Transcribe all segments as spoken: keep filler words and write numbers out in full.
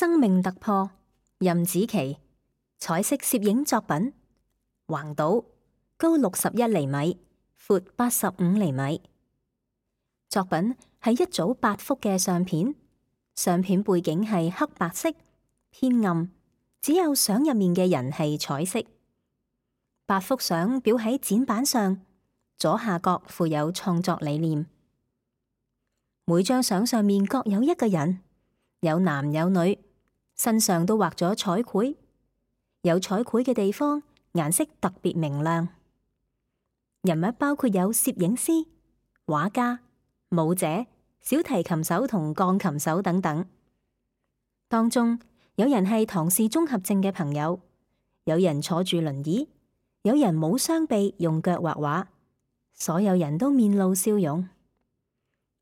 生命突破，任子琪，彩色攝影作品，橫島，高六十一厘米，闊八十五厘米。作品係一組八幅嘅相片，相片背景係黑白色，偏暗，只有相入面嘅人係彩色。八幅相裱喺展板上，左下角附有創作理念。每張相上面各有一個人，有男有女，身上都畫咗彩繪，有彩繪嘅地方顏色特別明亮。人物包括有攝影師、畫家、舞者、小提琴手同鋼琴手等等。當中有人係唐氏綜合症嘅朋友，有人坐住輪椅，有人冇雙臂用腳畫畫，所有人都面露笑容。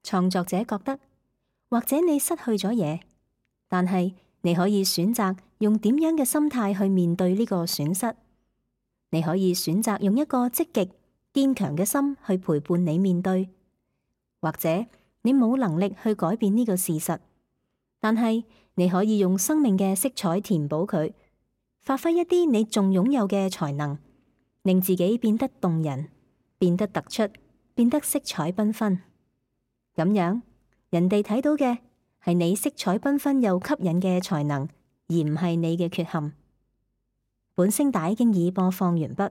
創作者覺得，或者你失去咗嘢，但係你可以選擇用點樣嘅心態去面對呢個損失。你可以選擇用一個積極、堅強嘅心去陪伴你面對，或者你冇能力去改變呢個事實，但係你可以用生命嘅色彩填補佢，發揮一啲你仲擁有嘅才能，令自己變得動人，變得突出，變得色彩繽紛。咁樣，人哋睇到嘅係你色彩繽紛又吸引嘅才能，而唔係你嘅缺陷。本聲帶經已播放完畢。